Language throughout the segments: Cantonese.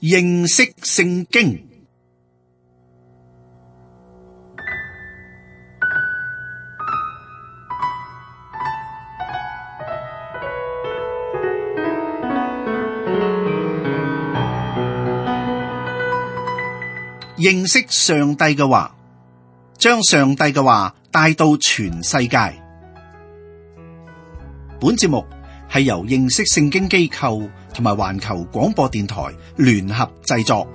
認識聖經。認識上帝嘅話，將上帝嘅話帶到全世界。本節目係由認識聖經機構同埋環球廣播電台聯合製作。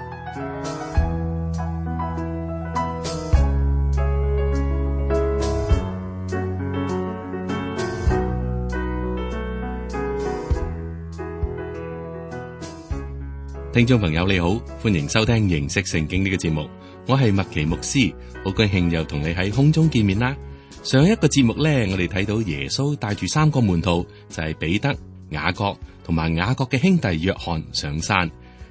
聽眾朋友你好，歡迎收聽認識聖經呢個節目，我係麥奇牧師，好高興又同你喺空中見面啦。上一個節目呢，我哋睇到耶穌帶住3個門徒，就係彼得、雅各同埋雅各嘅兄弟約翰上山，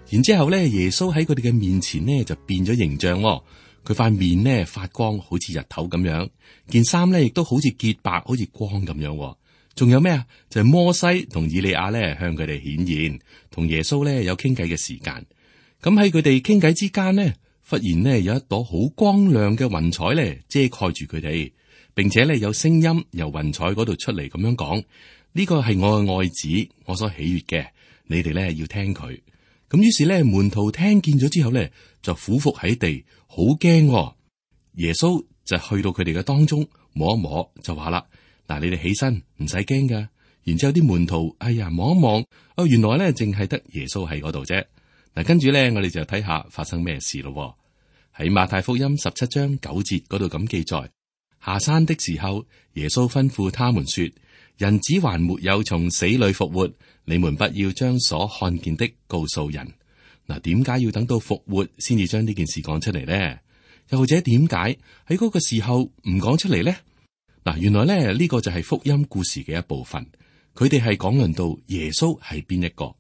然之後呢，耶穌喺佢哋嘅面前呢就變咗形象，佢塊面呢發光，好似日頭咁樣，件衫呢亦都好似潔白，好似光咁樣。仲有咩啊？就係摩西同以利亞咧向佢哋顯現，同耶穌咧有傾偈嘅時間。咁喺佢哋傾偈之間呢，忽然呢有一朵好光亮嘅雲彩咧遮蓋住佢哋，並且咧有聲音由雲彩嗰度出嚟咁樣講：呢個係我嘅愛子，我所喜悅嘅，你哋咧要聽佢。咁於是咧門徒聽見咗之後咧就俯伏喺地，好驚。耶穌就去到佢哋嘅當中摸一摸，就話啦：嗱，你哋起身，唔使驚噶。然之後啲門徒，哎呀，望一望，哦，原來咧淨係得耶穌喺嗰度啫。嗱，跟住咧，我哋就睇下發生咩事咯。喺馬太福音17章9節嗰度咁記載：下山的時候，耶穌吩咐他們說：人子還沒有從死裏復活，你們不要將所看見的告訴人。嗱，點解要等到復活先至將呢件事講出嚟呢？又或者點解喺嗰個時候唔講出嚟呢？嗱，原來咧呢個就係福音故事嘅一部分。佢哋係講論到耶穌係邊一個？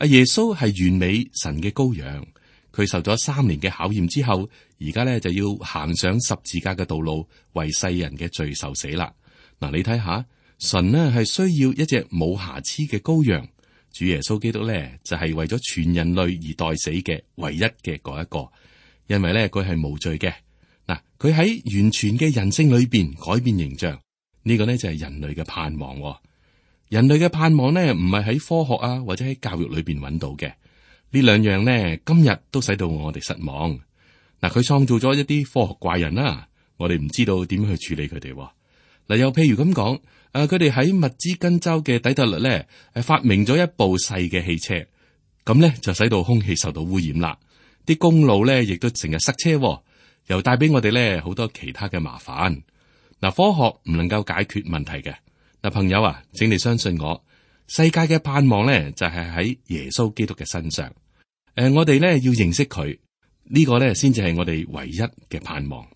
耶穌係完美神嘅羔羊，佢受咗3年嘅考驗之後，而家咧就要行上十字架嘅道路，為世人嘅罪受死啦。嗱，你睇下，神呢係需要一隻冇瑕疵嘅羔羊，主耶穌基督咧就係為咗全人類而代死嘅唯一嘅嗰一個，因為咧佢係無罪嘅。嗱，佢喺完全嘅人性裏邊改變形象，呢個呢就係人類嘅盼望。人類嘅盼望呢，唔係喺科學啊或者喺教育裏邊揾到嘅，呢兩樣呢，今日都使到我哋失望。嗱，佢創造咗一啲科學怪人啦，我哋唔知道點樣去處理佢哋。嗱，又譬如咁講，佢哋喺密茲根州嘅底特律呢，發明咗一部細嘅汽車，咁呢就使到空氣受到污染啦，啲公路呢亦都成日塞車。又帶俾我哋咧好多其他嘅麻煩。嗱，科學唔能夠解決問題嘅。嗱，朋友啊，請你相信我，世界嘅盼望咧就係喺耶穌基督嘅身上。我哋咧要認識佢，呢個咧先至係我哋唯一嘅盼望。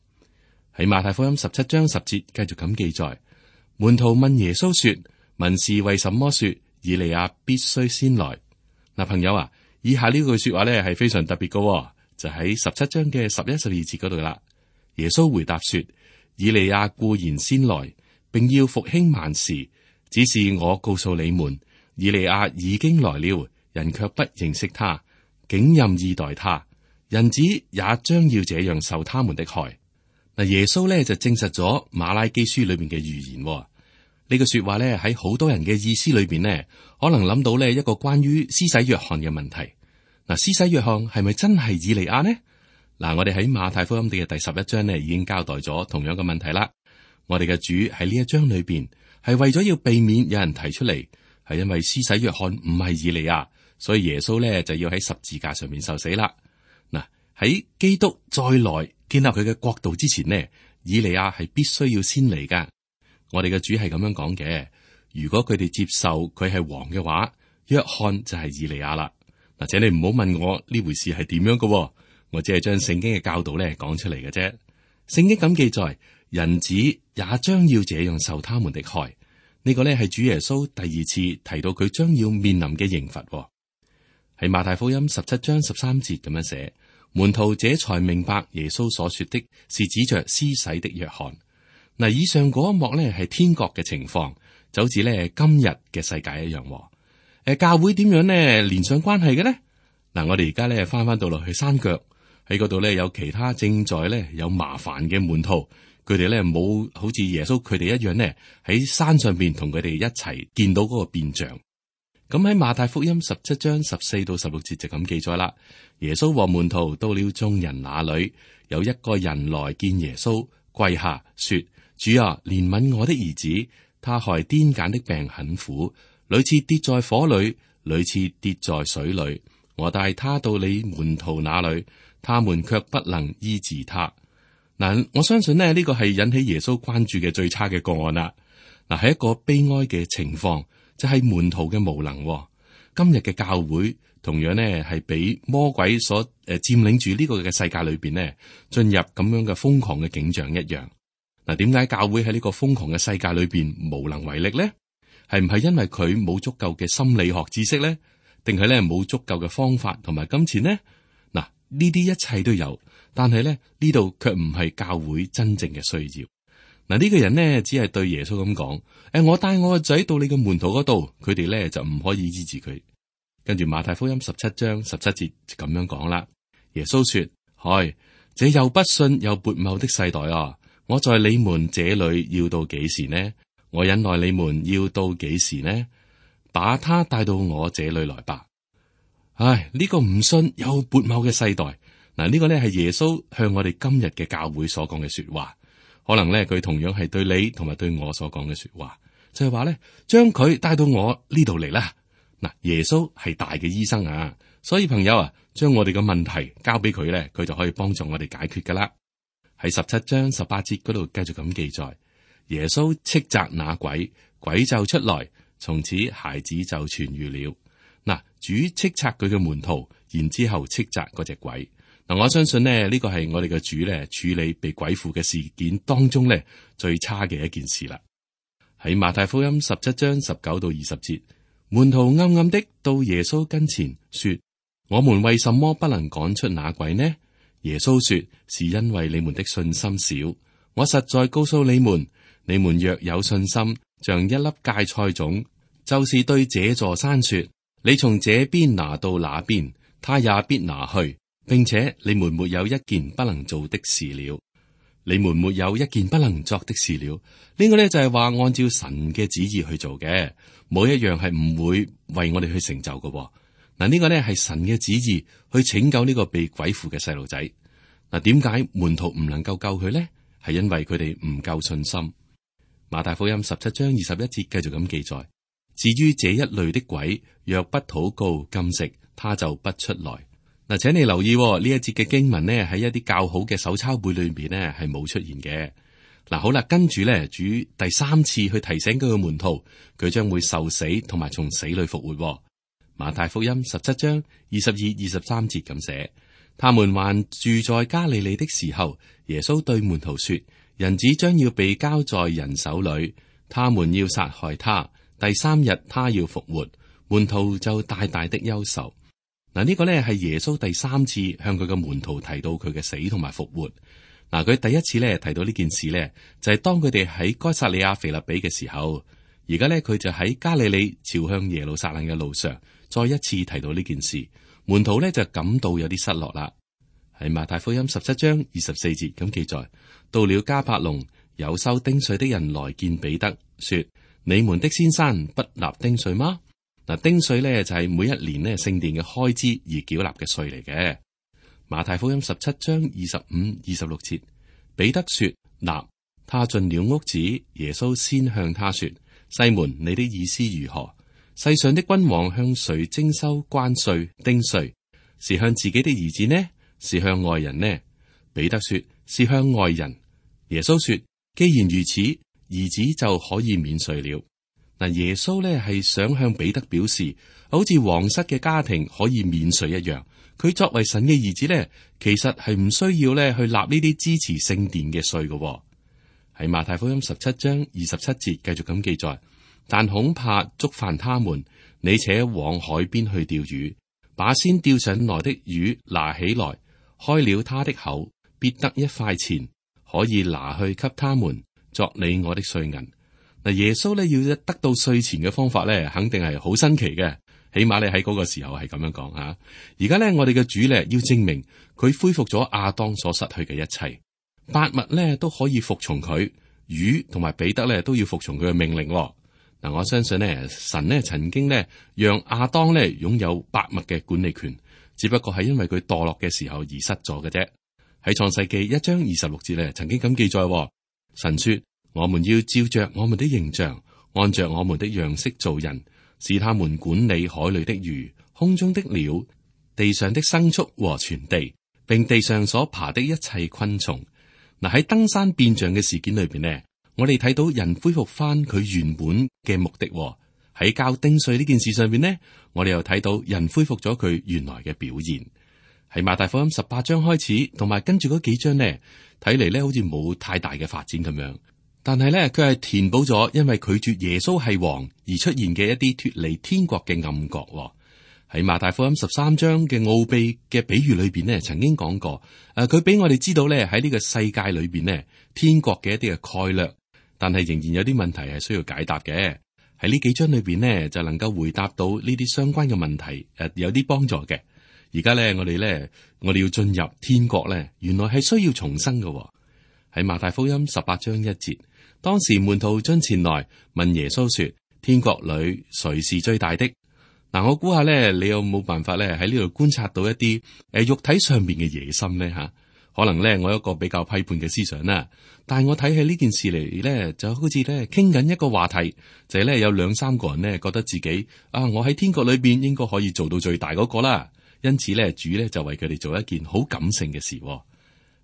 喺馬太福音17章10節繼續咁記載，門徒問耶穌說：文士為什麼說以利亞必須先來？嗱，朋友啊，以下呢句說話咧係非常特別嘅。就喺17章嘅11、12節嗰度啦。耶穌回答說：以利亞固然先來，並要復興萬事，只是我告訴你們，以利亞已經來了，人卻不認識他，竟任意待他。人子也將要這樣受他們的害。嗱，耶穌咧就證實咗馬拉基書裏面嘅預言。呢個說話咧喺好多人嘅意思裏邊呢，可能諗到呢一個關於施洗約翰嘅問題。嗱，施洗約翰係咪真係以利亞呢？嗱，我哋喺馬太福音嘅第11章呢已經交代咗同樣嘅問題啦。我哋嘅主喺呢一章裏邊係為咗要避免有人提出嚟，係因為施洗約翰唔係以利亞，所以耶穌呢就要喺十字架上面受死啦。嗱，喺基督再來建立佢嘅國度之前呢，以利亞係必須要先嚟噶。我哋嘅主係咁樣講嘅。如果佢哋接受佢係王嘅話，約翰就係以利亞啦。或者你唔好問我呢回事係點樣嘅，我只係將聖經嘅教導咧講出嚟嘅啫。聖經咁記載，人子也將要這樣受他們的害。呢個呢係主耶穌第2次提到佢將要面臨嘅刑罰。喺馬太福音17章13節咁樣寫，門徒這才明白耶穌所說的是指着施洗的約翰。嗱，以上嗰一幕呢係天國嘅情況，就好似呢今日嘅世界一樣。教會點樣呢連上關係嘅呢？嗱，我哋而家咧翻到落去山腳，喺嗰度咧有其他正在咧有麻煩嘅門徒，佢哋咧冇好似耶穌佢哋一樣咧喺山上邊同佢哋一齊見到嗰個變像。咁喺馬太福音17章14到16節就咁記載啦。耶穌和門徒到了眾人那裏，有一個人來見耶穌，跪下說：主啊，憐憫我的兒子，他害癲癇的病很苦，屢次跌在火裏，屢次跌在水裏。我帶他到你門徒那裏，他們卻不能醫治他。嗱，我相信呢個係引起耶穌關注嘅最差嘅個案啦。嗱，係一個悲哀嘅情況，就係門徒嘅無能。今日嘅教會同樣呢係俾魔鬼所佔領住呢個嘅世界裏邊呢，進入咁樣嘅瘋狂嘅景象一樣。嗱，點解教會喺呢個瘋狂嘅世界裏邊無能為力呢？係唔係因為佢冇足夠嘅心理學知識呢？定係咧冇足夠嘅方法同埋金錢呢？嗱，呢啲一切都有，但係咧呢度卻唔係教會真正嘅需要。嗱，呢個人呢，只係對耶穌咁講：我帶我個仔到你嘅門徒嗰度，佢哋咧就唔可以醫治佢。跟住馬太福音17章17節就咁樣講啦。耶穌說：嗨，這又不信又悖謬的世代啊！我在你們這裏要到幾時呢？我忍耐你們要到幾時呢？把他帶到我這裏來吧。唉，呢個唔信又悖謬嘅世代，嗱，呢個呢係耶穌向我哋今日嘅教會所講嘅說話。可能呢，佢同樣係對你同埋對我所講嘅說話，就係話呢，將佢帶到我呢度嚟啦。嗱，耶穌係大嘅醫生啊，所以朋友啊，將我哋嘅問題交俾佢呢，佢就可以幫助我哋解決噶啦。喺17章18節嗰度繼續咁記載，耶穌斥責那鬼，鬼就出來。從此孩子就痊癒了。嗱，主斥責佢嘅門徒，然之後斥責嗰隻鬼。嗱，我相信呢個係我哋嘅主咧處理被鬼附嘅事件當中咧最差嘅一件事啦。喺馬太福音17章19到20節，門徒暗暗的到耶穌跟前說：我們為什麼不能趕出那鬼呢？耶穌說：是因為你們的信心少。我實在告訴你們，你們若有信心，像一粒芥菜種，就是對這座山說：你從這邊拿到那邊，他也必拿去，並且你們沒有一件不能做的事了。你們沒有一件不能作的事了。呢個呢，就係話按照神嘅旨意去做嘅，冇一樣係唔會為我哋去成就嘅。嗱，呢個呢係神嘅旨意去拯救呢個被鬼附嘅細路仔。嗱，點解門徒唔能夠救佢呢？係因為佢哋唔夠信心。馬太福音17章21節繼續咁記載。至於這一類的鬼，若不禱告禁食，他就不出來。嗱，請你留意呢一節嘅經文呢，喺一啲較好嘅手抄本裏邊呢係冇出現嘅。嗱，好啦，跟住呢，主第3次去提醒佢嘅門徒，佢將會受死同埋從死裏復活。馬太福音17章22、23節咁寫：他們還住在加利利的時候，耶穌對門徒說：人子將要被交在人手裏，他們要殺害他。第3日他要復活，門徒就大大的憂愁。嗱，呢個呢係耶穌第3次向佢嘅門徒提到佢嘅死同埋復活。嗱，佢第一次呢提到呢件事呢，就係當佢哋喺該撒利亞腓立比嘅時候。而家呢，佢就喺加利利朝向耶路撒冷嘅路上，再一次提到呢件事。門徒呢就感到有啲失落啦。喺馬太福音17章24節咁記載，到了迦百農，有收丁稅的人來見彼得，說：你們的先生不納丁稅嗎？嗱，丁稅咧就係每一年咧聖殿嘅開支而繳納嘅稅嚟嘅。馬太福音17章25、26節，彼得說納，他進了屋子，耶穌先向他說：西門，你的意思如何？世上的君王向誰徵收關稅丁稅？是向自己的兒子呢？是向外人呢？彼得說：是向外人。耶穌說：既然如此，兒子就可以免稅了。嗱，耶穌咧係想向彼得表示，好似皇室嘅家庭可以免稅一樣，佢作為神嘅兒子咧，其實係唔需要咧去納呢啲支持聖殿嘅稅嘅。喺馬太福音17章27節繼續咁記載，但恐怕觸犯他們，你且往海邊去釣魚，把先釣上來的魚拿起來，開了他的口，必得1塊錢，可以拿去給他們，作你我的稅銀。嗱，耶穌咧要得到稅錢嘅方法咧，肯定係好新奇嘅，起碼咧喺嗰個時候係咁樣講吓。而家咧我哋嘅主咧要證明佢恢復咗亞當所失去嘅一切，百物咧都可以服從佢，魚同埋彼得咧都要服從佢嘅命令。嗱，我相信咧神咧曾經咧讓亞當咧擁有百物嘅管理權，只不過係因為佢墮落嘅時候而失咗嘅啫。喺創世記1章26節咧曾經咁記載，神說：我們要照着我們的形象，按着我們的樣式造人，使他們管理海裏的魚、空中的鳥、地上的牲畜和全地，並地上所爬的一切昆蟲。嗱，喺登山變像嘅事件裏邊呢，我哋睇到人恢復翻佢原本嘅目的。喺交丁稅呢件事上邊呢，我哋又睇到人恢復咗佢原來嘅表現。喺馬太福音18章開始，同埋跟住嗰幾章呢，睇嚟咧好似冇太大嘅發展咁樣。但係咧，佢係填補咗因為拒絕耶穌係王而出現嘅一啲脫離天國嘅暗角。喺馬太福音13章嘅奧秘嘅比喻裏邊呢，曾經講過，佢俾我哋知道咧喺呢個世界裏邊呢，天國嘅一啲嘅概略，但係仍然有啲問題係需要解答嘅。喺呢幾章裏邊呢，就能夠回答到呢啲相關嘅問題，有啲幫助嘅。而家咧，我哋要進入天國咧，原來係需要重生嘅。喺馬太福音18章1節，當時門徒進前來問耶穌說：天國裏誰是最大的？嗱，我估下咧，你有冇辦法咧喺呢度觀察到一啲肉體上邊嘅野心咧吓？可能咧我有一個比較批判嘅思想啦，但係我睇起呢件事嚟咧，就好似咧傾緊一個話題，就係咧有2-3個人咧覺得自己我喺天國裏邊應該可以做到最大嗰個啦。因此咧，主咧就為佢哋做一件好感性嘅事。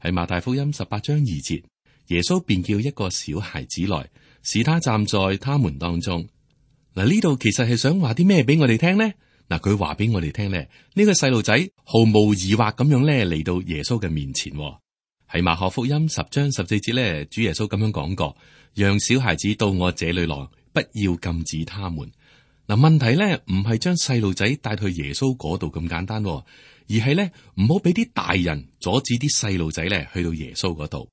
喺馬太福音18章2節，耶穌便叫一個小孩子來，使他站在他們當中。嗱，呢度其實係想話啲咩俾我哋聽呢？嗱，佢話俾我哋聽咧，呢個細路仔毫無疑惑咁樣咧嚟到耶穌嘅面前。喺馬可福音10章14節咧，主耶穌咁樣講過：讓小孩子到我這裏來，不要禁止他們。嗱，問題咧唔係將細路仔帶去耶穌嗰度咁簡單，而係咧唔好俾啲大人阻止啲細路仔咧去到耶穌嗰度。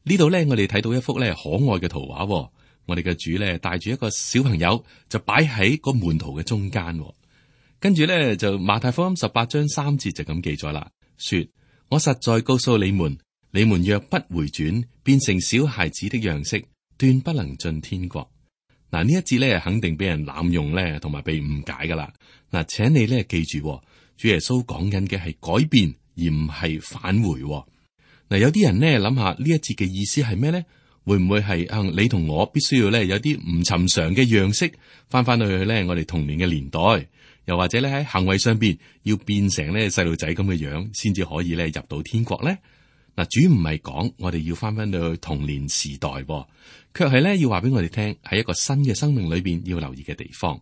呢度咧，我哋睇到一幅咧可愛嘅圖畫。我哋嘅主咧帶住一個小朋友，就擺喺個門徒嘅中間。跟住咧就馬太福音18章3節就咁記載啦，說：我實在告訴你們，你們若不回轉，變成小孩子的樣式，斷不能進天國。嗱，呢一節咧肯定俾人濫用咧，同埋被誤解噶啦。嗱，請你咧記住，主耶穌講緊嘅係改變，而唔係返回。嗱，有啲人咧諗下呢一節嘅意思係咩咧？會唔會係你同我必須要咧有啲唔尋常嘅樣式，翻去咧我哋童年嘅年代，又或者咧喺行為上邊要變成咧細路仔咁嘅樣，先至可以咧入到天國咧？嗱，主唔係講我哋要翻到去童年時代，卻係咧要話俾我哋聽，喺一個新嘅生命裏邊要留意嘅地方。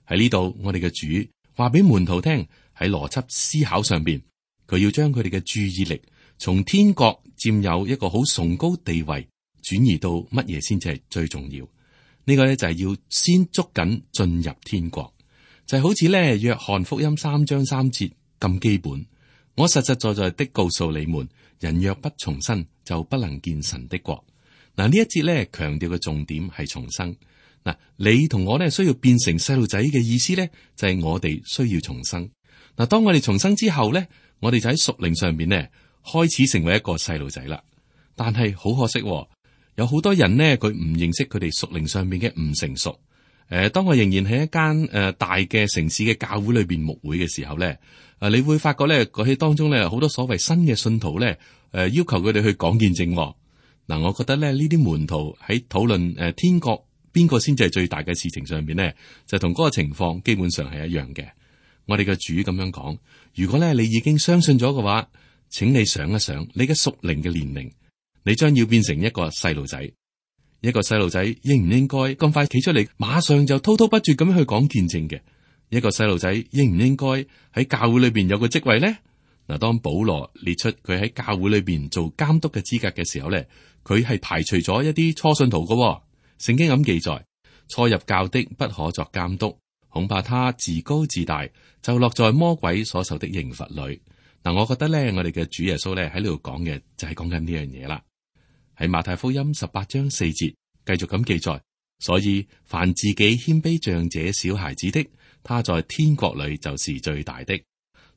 喺呢度，我哋嘅主話俾門徒聽，喺邏輯思考上邊，佢要將佢哋嘅注意力從天國佔有一個好崇高地位，轉移到乜嘢先至係最重要？呢個咧就係要先捉緊進入天國，就係好似咧約翰福音3章3節咁基本。我實實在在的告訴你們，人若不重生，就不能見神的國。嗱，呢一節咧強調嘅重點係重生。嗱，你同我咧需要變成細路仔嘅意思咧，就係我哋需要重生。嗱，當我哋重生之後咧，我哋就喺屬靈上邊咧開始成為一個細路仔啦。但係好可惜，有好多人呢，佢唔認識佢哋屬靈上面嘅唔成熟。當我仍然喺一間大嘅城市嘅教會裏邊牧會嘅時候咧，你會發覺咧，喺當中咧好多所謂新嘅信徒咧，要求佢哋去講見證。嗱，我覺得咧呢啲門徒喺討論天國邊個先至係最大嘅事情上邊咧，就同嗰個情況基本上係一樣嘅。我哋嘅主咁樣講，如果咧你已經相信咗嘅話，請你想一想你嘅屬靈嘅年齡，你將要變成一個細路仔。一個細路仔應唔應該咁快企出嚟，馬上就滔滔不絕咁樣去講見證嘅？一個細路仔應唔應該喺教會裏邊有個職位咧？嗱，當保羅列出佢喺教會裏邊做監督嘅資格嘅時候咧，佢係排除咗一啲初信徒嘅。聖經咁記載，初入教的不可作監督，恐怕他自高自大，就落在魔鬼所受的刑罰裏。嗱，我覺得咧，我哋嘅主耶穌咧喺呢度講嘅就係講緊呢樣嘢啦。喺馬太福音18章4節繼續咁記載，所以凡自己謙卑像這小孩子的，他在天國裏就是最大的。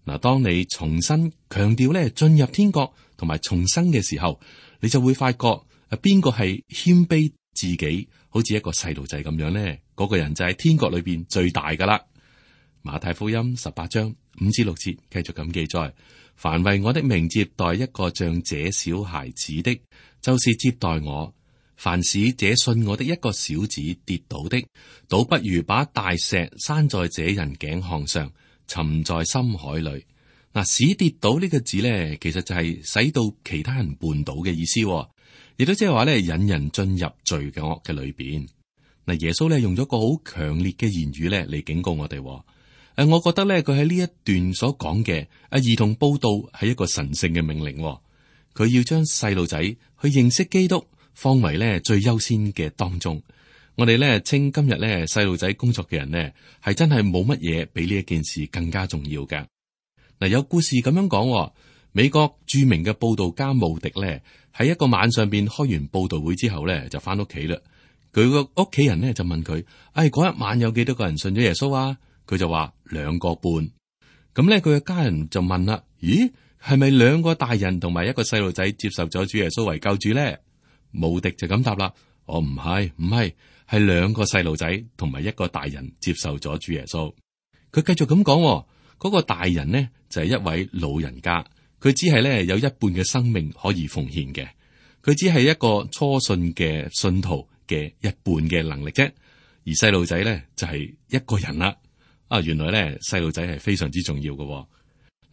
嗱，當你重新強調咧進入天國同埋重生嘅時候，你就會發覺邊個係謙卑自己，好似一個細路仔咁樣呢？嗰個人就係天國裏邊最大噶啦。馬太福音18章5至6節繼續咁記載：凡為我的名接待一個像這小孩子的，就是接待我；凡使這信我的一個小子跌倒的，倒不如把大石拴在這人頸項上，沉在深海裏。嗱，使跌倒呢個字呢，其實就係使到其他人絆倒嘅意思，亦都即係話咧引人進入罪惡嘅裏邊。嗱，耶穌咧用咗個好強烈嘅言語咧嚟警告我哋。我覺得咧佢喺呢一段所講嘅兒童佈道係一個神聖嘅命令。佢要將細路仔去認識基督放為咧最優先嘅當中。我哋咧稱今日咧細路仔工作嘅人呢，係真係冇乜嘢比呢一件事更加重要嘅。嗱，有故事咁樣講，美國著名嘅佈道家慕迪咧喺一個晚上邊開完佈道會之後咧就翻屋企啦。佢個屋企人呢就問佢：嗰一晚有幾多個人信咗耶穌啊？佢就話2個半。咁咧佢嘅家人就問啦：咦，係咪2個大人同埋一個細路仔接受咗主耶穌為救主咧？慕迪就咁答啦：唔係，係2個細路仔同埋1個大人接受咗主耶穌。佢繼續咁講，嗰個大人呢就係一位老人家，佢只係咧有一半嘅生命可以奉獻嘅，佢只係一個初信嘅信徒嘅一半嘅能力啫。而細路仔咧就係1個人啦。原來咧細路仔係非常之重要嘅。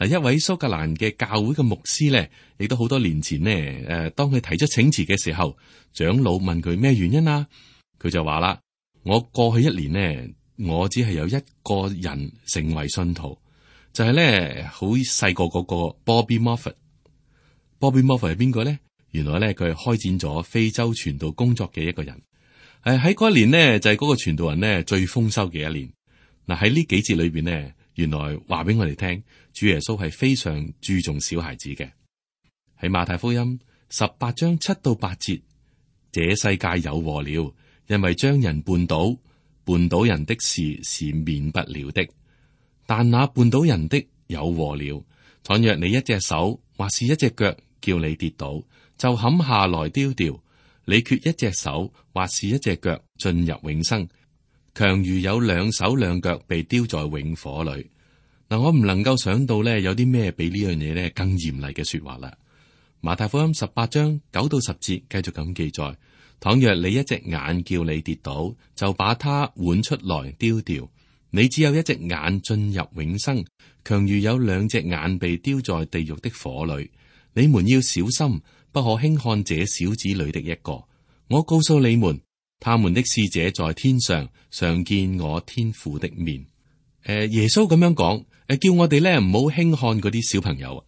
嗱，一位蘇格蘭嘅教會嘅牧師咧，亦都好多年前呢，當佢提出請辭嘅時候，長老問佢咩原因啊？佢就話啦：我過去1年呢，我只係有1個人成為信徒，就係咧好細個嗰個 Bobby Moffat。Bobby Moffat 係邊個咧？原來咧佢係開展咗非洲傳道工作嘅一個人。喺嗰一年呢，就係嗰個傳道人呢最豐收嘅一年。嗱，喺呢幾節裏邊呢，原來話俾我哋聽，主耶穌係非常注重小孩子嘅。喺馬太福音18章7到8節，這世界有禍了，因為將人絆倒人的事是免不了的。但那絆倒人的有禍了，倘若你一隻手或是一隻腳叫你跌倒，就砍下來丟掉。你缺一隻手或是一隻腳進入永生，強如有2手2腳被丟在永火裏。嗱，我唔能夠想到咧，有啲咩比呢樣嘢咧更嚴厲嘅說話啦。馬太福音18章9到10節繼續咁記載：倘若你一隻眼叫你跌倒，就把它換出來丟掉。你只有一隻眼進入永生，強如有2隻眼被丟在地獄的火裏。你們要小心，不可輕看這小子裏的一個。我告訴你們，他們的使者在天上常見我天父的面。耶穌咁樣講，叫我哋咧唔好輕看嗰啲小朋友。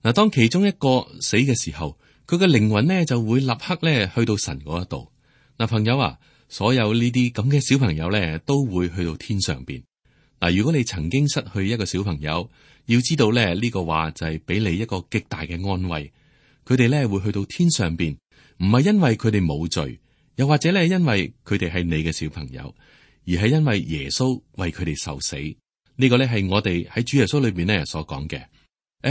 嗱，當其中一個死嘅時候，佢嘅靈魂呢就會立刻咧去到神嗰一度。嗱，朋友啊，所有呢啲咁嘅小朋友咧都會去到天上邊。嗱，如果你曾經失去一個小朋友，要知道咧呢個話就係俾你一個極大嘅安慰。佢哋咧會去到天上邊，唔係因為佢哋冇罪，又或者咧因為佢哋係你嘅小朋友，而係因為耶穌為佢哋受死。呢個咧係我哋喺主耶穌裏邊咧所講嘅。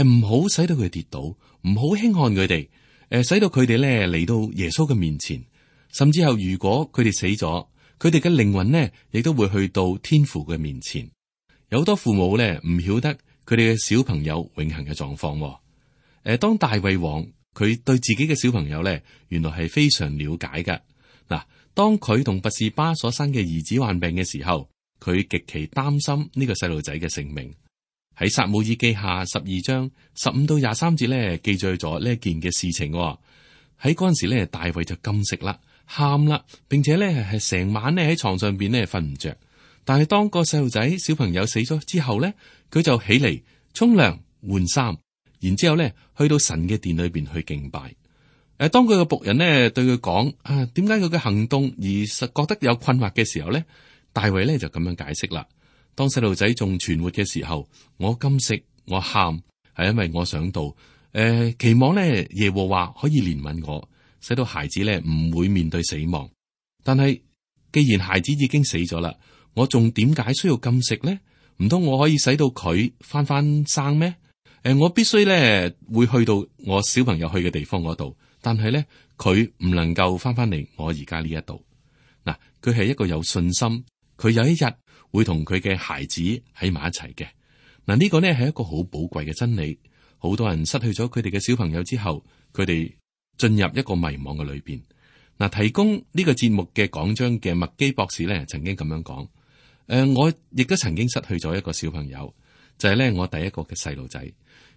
唔好使到佢跌倒，唔好輕看佢哋。使到佢哋咧嚟到耶穌嘅面前，甚至後如果佢哋死咗，佢哋嘅靈魂呢亦都會去到天父嘅面前。有好多父母咧唔曉得佢哋嘅小朋友永恆嘅狀況。當大衛王佢對自己嘅小朋友咧，原來係非常了解噶。嗱，當佢同拔士巴所生嘅兒子患病嘅時候，佢極其擔心呢個細路仔嘅性命。喺撒母耳記下12章15到23節咧，記載咗呢一件嘅事情。喺嗰陣時咧，大衛就禁食啦，喊啦，並且咧係成晚咧喺床上邊咧瞓唔着。但係當個細路仔小朋友死咗之後咧，佢就起嚟沖涼換衫，然之後咧去到神嘅殿裏邊去敬拜。當佢嘅僕人呢對佢講點解佢嘅行動而實覺得有困惑嘅時候咧，大衛咧就咁樣解釋啦。當細路仔仲存活嘅時候，我禁食，我喊，係因為我想到，期望咧耶和華可以憐憫我，使到孩子咧唔會面對死亡。但係既然孩子已經死咗啦，我仲點解需要禁食咧？唔通我可以使到佢翻生咩？我必須咧會去到我小朋友去嘅地方嗰度，但係咧佢唔能夠翻嚟我而家呢一度。嗱，佢係一個有信心，佢有一日會同佢嘅孩子喺埋一齊嘅。嗱，呢個呢係一個好寶貴嘅真理。好多人失去咗佢哋嘅小朋友之後，佢哋進入一個迷惘嘅裏邊。嗱，提供呢個節目嘅講章嘅麥基博士咧，曾經咁樣講：我亦都曾經失去咗一個小朋友，就係咧我第一個嘅細路仔。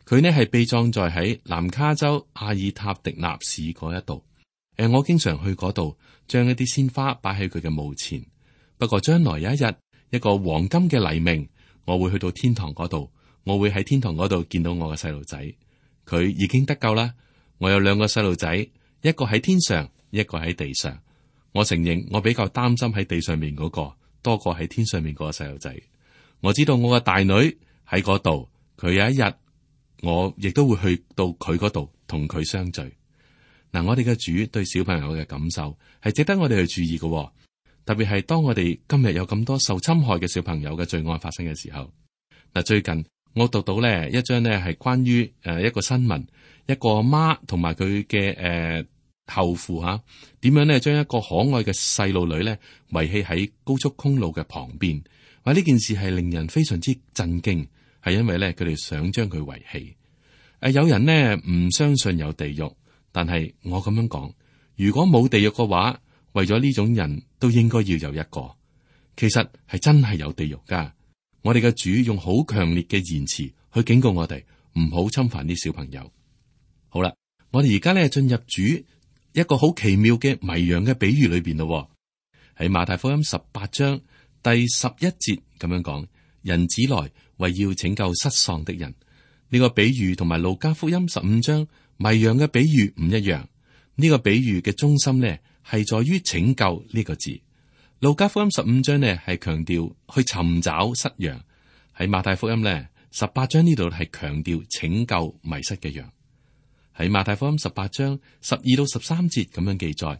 佢呢係被葬在喺南卡州阿爾塔迪納市嗰一度。我經常去嗰度，將一啲鮮花擺喺佢嘅墓前。不過將來有一日，一個黃金嘅黎明，我會去到天堂嗰度，我會喺天堂嗰度見到我嘅細路仔。佢已經得救啦。我有兩個細路仔，一個喺天上，一個喺地上。我承認我比較擔心喺地上面嗰個多過喺天上面嗰個細路仔。我知道我嘅大女喺嗰度，佢有一日我亦都會去到佢嗰度同佢相聚。嗱，我哋嘅主對小朋友嘅感受係值得我哋去注意嘅，特別係當我哋今日有咁多受侵害嘅小朋友嘅罪案發生嘅時候。嗱，最近我讀到呢一張呢係關於一個新聞，一個媽同埋佢嘅後父吓，點樣呢將一個可愛嘅細路女呢遺棄喺高速公路嘅旁邊。話呢件事係令人非常之震驚，係因為呢佢哋想將佢遺棄。有人呢唔相信有地獄。但係我咁樣講，如果冇地獄嘅話，為咗呢種人都應該要有一個。其實係真係有地獄噶。我哋嘅主用好強烈嘅言辭去警告我哋，唔好侵犯啲小朋友。好啦，我哋而家咧進入主一個好奇妙嘅迷羊嘅比喻裏邊咯。喺馬太福音18章第11節咁樣講：人子來為要拯救失喪的人。呢個比喻同埋路加福音15章迷羊嘅比喻唔一樣。呢個比喻嘅中心呢係在於拯救呢個字。路加福音15章呢係強調去尋找失羊，喺馬太福音呢18章呢度係強調拯救迷失嘅羊。喺馬太福音18章12到13節咁樣記載：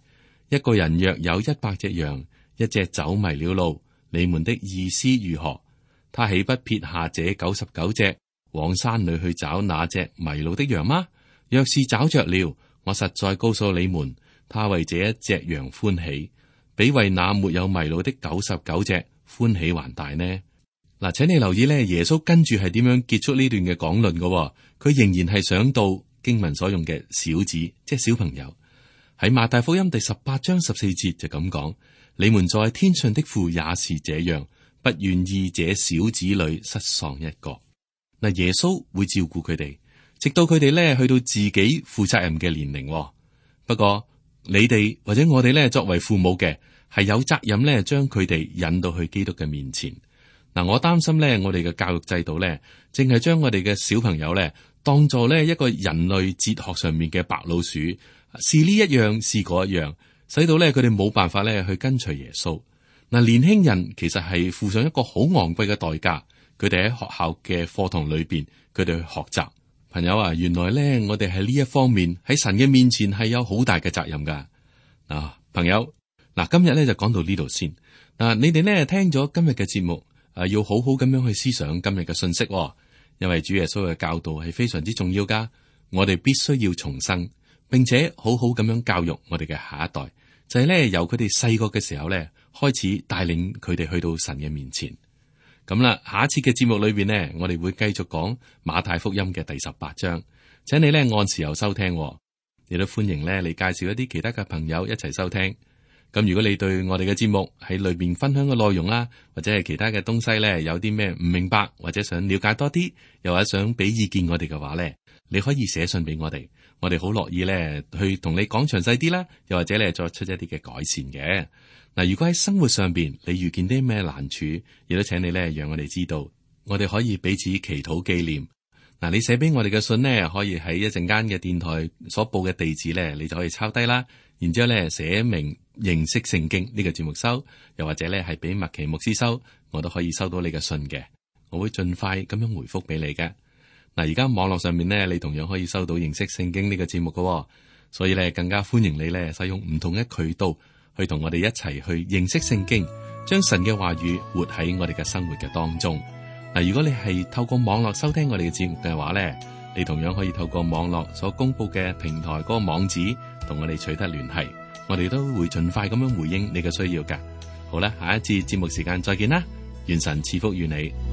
一個人若有100隻羊，一隻走迷了路，你們的意思如何？他豈不撇下這99隻，往山裏去找那隻迷路的羊嗎？若是找着了，我實在告訴你們，他為這一隻羊歡喜，比為那沒有迷路的99隻歡喜還大呢。嗱，請你留意咧，耶穌跟住係點樣結束呢段嘅講論嘅？佢仍然係想到經文所用嘅小子，即係小朋友。喺馬太福音第18章14節就咁講：你們在天上的父也是這樣，不願意這小子裏失喪一個。嗱，耶穌會照顧佢哋，直到佢哋咧去到自己負責任嘅年齡。不過你哋或者我哋咧作為父母嘅，係有責任咧將佢哋引到去基督嘅面前。嗱，我擔心咧，我哋嘅教育制度咧，淨係將我哋嘅小朋友咧當做咧一個人類哲學上面嘅白老鼠，是呢一樣是嗰一樣，使到咧佢哋冇辦法咧去跟隨耶穌。嗱，年輕人其實係付上一個好昂貴嘅代價。佢哋喺學校嘅課堂裏邊，佢哋去學習。朋友啊，原來咧，我哋喺呢一方面喺神嘅面前係有好大嘅責任噶。朋友，今日咧就講到呢度先。你哋咧聽咗今日嘅節目，要好好咁樣去思想今日嘅信息，因為主耶穌嘅教導係非常之重要噶。我哋必須要重生，並且好好咁樣教育我哋嘅下一代，就係咧由佢哋細個嘅時候咧開始帶領佢哋去到神嘅面前。咁啦，下一次嘅節目裏邊呢，我哋會繼續講馬太福音嘅第18章，請你呢按時候收聽，亦都歡迎呢你介紹一啲其他嘅朋友一齊收聽。咁如果你對我哋嘅節目喺裏邊分享嘅內容啦，或者係其他嘅東西呢，有啲咩唔明白，或者想了解多啲，又或者想俾意見我哋嘅話呢，你可以寫信俾我哋，我哋好樂意呢去同你講詳細啲啦，又或者呢作出一啲嘅改善嘅。嗱，如果喺生活上邊你遇見啲咩難處，亦都請你咧讓我哋知道，我哋可以彼此祈禱紀念。嗱，你寫俾我哋嘅信呢，可以喺一陣間嘅電台所報嘅地址咧，你就可以抄低啦。然之後咧寫明認識聖經呢個節目收，又或者咧係俾麥奇牧師收，我都可以收到你嘅信嘅。我會盡快咁樣回覆俾你嘅。嗱，而家網絡上面呢，你同樣可以收到認識聖經呢個節目嘅，所以咧更加歡迎你咧使用唔同嘅渠道。去同我哋一齊去認識聖經，將神嘅話語活喺我哋嘅生活嘅當中。嗱，如果你係透過網絡收聽我哋嘅節目嘅話咧，你同樣可以透過網絡所公布嘅平台嗰個網址同我哋取得聯繫，我哋都會盡快咁樣回應你嘅需要噶。好啦，下一次節目時間再見啦，願神賜福於你。